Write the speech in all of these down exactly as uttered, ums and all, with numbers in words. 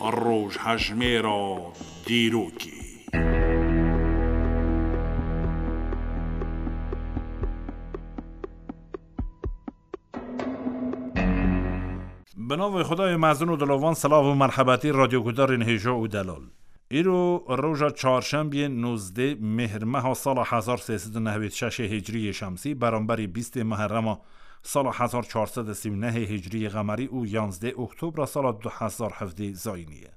Rojhejmêra dîrokê. Bi navê Xwedayê mezin û dilovan, silav û merhebetî radyogudarên hêja û delal. Îro roja çarşembiyê nozdeh Mêhrmeha sala hezar sê sed û nehwêd şeşê Hicriyê Şemsî, beramberî bîstê Muherrema sala hezar çar sed û sî û nehê Hicriyê Qemerî û yanzdeh Oktobra sala du hezar hevdeh Zayînî ye.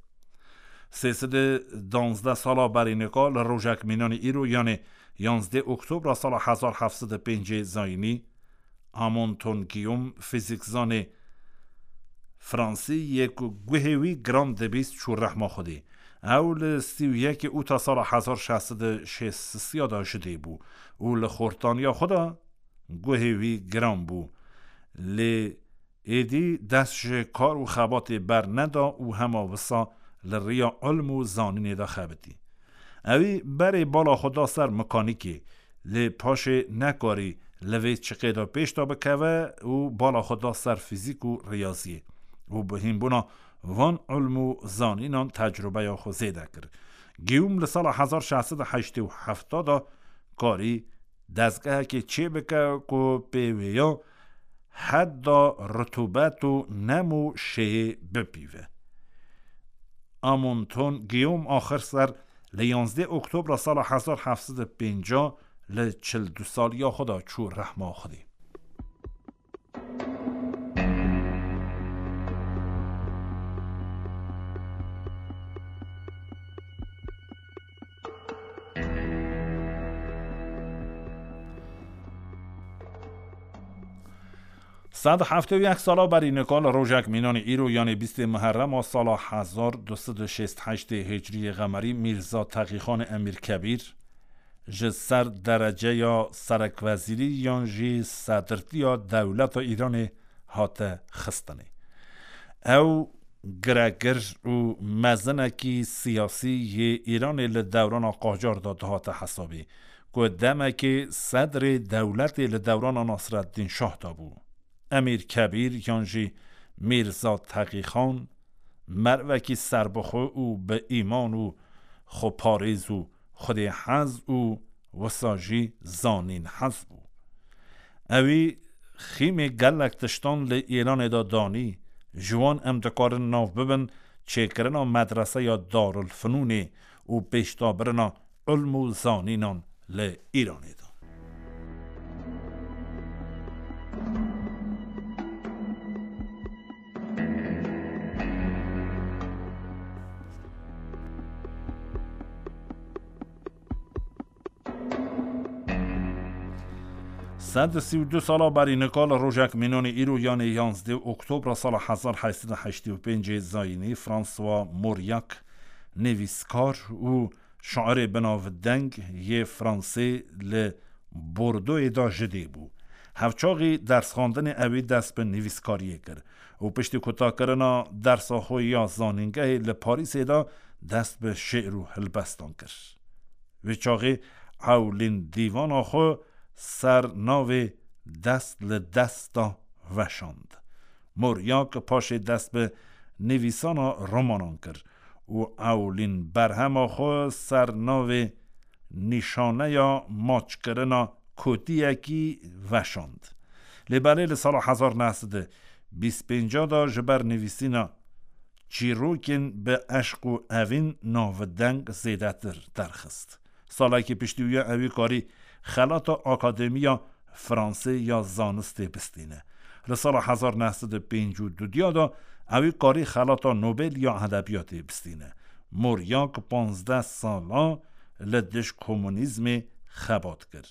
Sê sed û danzdeh sala berî nika li rojek mînanî îro, yanê yanzdeh Oktobra sala hezar heft sed û pêncê Zayînî, Amonton Guillaume, fîzîkzanê Fransî yê ku guhê wî giran dibîst, çû rehma Xwedê. Ew li sî û yekê Ûta sala hezar şeş sed û şêst ya de ji dê bû û li xortaniya xwe de guhê wî giran bû. Lê êdî dest ji kar û xebatê berneda û hema wisa li riya ilm û zanînê de xebitî. Ewî berê bala xwe da ser mekanîkê, lê paşê nekarî li vê çiqê de pêş de bikeve û bala xwe da ser fîzîk û riyaziyê û bi hînbûna van ilm û zanînan tecrûbeya xwe zêde kir. Guillaume li sala hezar şeş sed û heştê û heft de karî dezgehekê çêbike ku pê wêya heda rutubet û nem û şêyê bipîve. Amonton Guillaume axir ser li yanzdeh Oktobra sala hezar heft sed û pêncah li çil du saliya xwe de çû rehma Xwedê. Sed heftê û yek sala berî nika li rojek mînanî îro, yanê bîstê Muherrema sala hezar du sed û şêst heştê Hicriyê Qemerî, Mîrza Teqîxanê Emîr Kebîr ji ser dereceya serekwezîrî yan jî sedirtiya dewleta Îranê hate xistinê. Ew giregir û mezinekî siyasî yê Îranê li dewrana Qacar de dihate hesabê, ku demekê sedrê dewletê li dewrana Nasreddîn Şah de bû. Emîr Kebîr yan jî Mîrza Teqîxan mervekî serbixwe û bi îman û xweparêz û xwedêhez û wisa jî zanînhez bû. Ewî xîmê gelek tiştan li Îranê de danî, ji wan em dikarin nav bibin çêkirina medreseya Darulfinûnê û pêşdabirina ilm û zanînan li Îranê de. Sed û sî û du sala berî nika li rojek mînanî îro, yanê yanzdeh Oktobra sala hezar heşt sed û heştê û pêncê Zayînî, François Mauriac, nivîskar û şairê binavdeng yê Fransê, li Bordoyê de ji dê bû. Hevçaxî dersxandinê ewî dest bi nivîskariyê kir û piştî kutakirina dersa xwe ya zanîngehê li Parîsê de dest bi şi'r û hilbestan kir. Wê çaxê ewlîn dîvana xwe ser navê Dest li Dest de veşand. Mauriac paşê dest bi nivîsana romanan kir û ewlîn berhema xwe ser navê Nîşaneya Maçkirina Kotiyekî veşand. Lê belê li sala hezar neh sed û bîst pênc de ji ber nivîsîna çîrokên bi eşq û evîn navdeng zêdetir derxist. Salekî piştî wî ya ewî karî xelata Akademiya Fransê ya Zanistê bistîne. Li sala hezar neh sed û pêncî û du de ewî karî xelata Nobel ya Edebiyatê bistîne. Mauriac panzdeh sala li dij komunîzmê xebat kir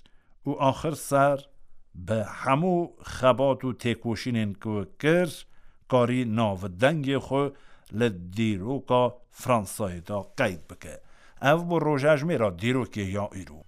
û axir ser bi hemû xebat û têkoşînên ku kir, karî navdengê xwe li dîroka Fransayê de qeyd bike. Ev bû rojejmêra dîrokê ya îro.